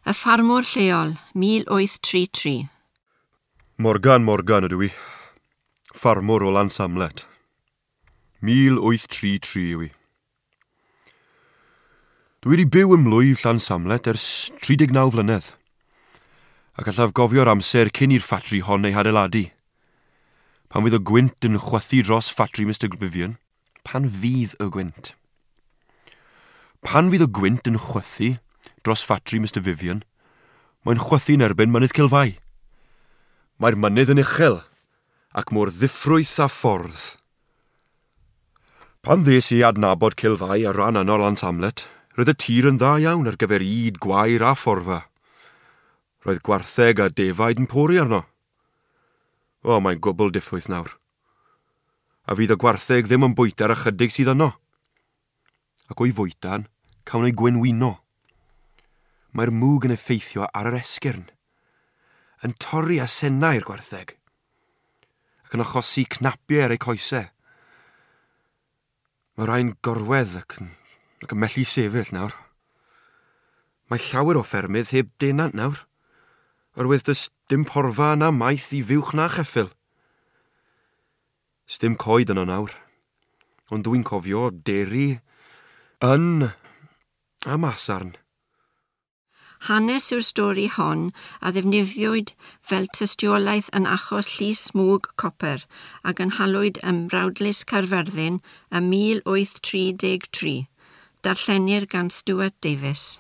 Y ffarmwr lleol, 1833. Morgan Morgan ydw i. Ffarmwr o Lansamlet. 1833 yw i. Dwi wedi byw ym mlwyf Llansamlet ers 39 flynedd, ac allaf gofio'r amser cyn i'r ffatri hon ei hadeiladu. Pan fydd y gwynt yn chwythu dros ffatri Mr Vivian, pan fydd y gwynt? Pan fydd y gwynt yn chwythu dros ffatri Mr Vivian, mae'n chwythu'n erbyn Mynydd Cilfai. Mae'r mynydd yn uchel, ac mor ddiffrwyth a ffordd. Pan ddes i adnabod Cilfai ar ran yno Llansamlet, roedd y tir yn dda iawn ar gyfer ŷd, gwair a phorfa. Roedd gwartheg a defaid yn pori arno. O, mae'n gwbl diffwyth nawr. A fydd y gwartheg ddim yn bwyta'r ychydig sydd yno. Ac o'i fwytan, cawn ei gwenwyno. Mae'r mwg yn effeithio ar yr esgyrn, yn torri asennau'r gwartheg, ac yn achosi cnapiau ar eu coesau. Mae rhai'n gorwedd ac yn, ac yn methu sefyll nawr. Mae llawer o ffermydd heb denant nawr, oherwydd does dim porfa na maeth i fuwch na cheffyl. Sdim coed yno nawr, ond dwi'n cofio deri, yn a masarn. Hanes yw'r stori hon a ddefnyddiwyd fel tystiolaeth yn achos llys mwg copr a gynhaliwyd ym Mrawdlys Caerfyrddin ym 1833. Darllenir gan Stuart Davies.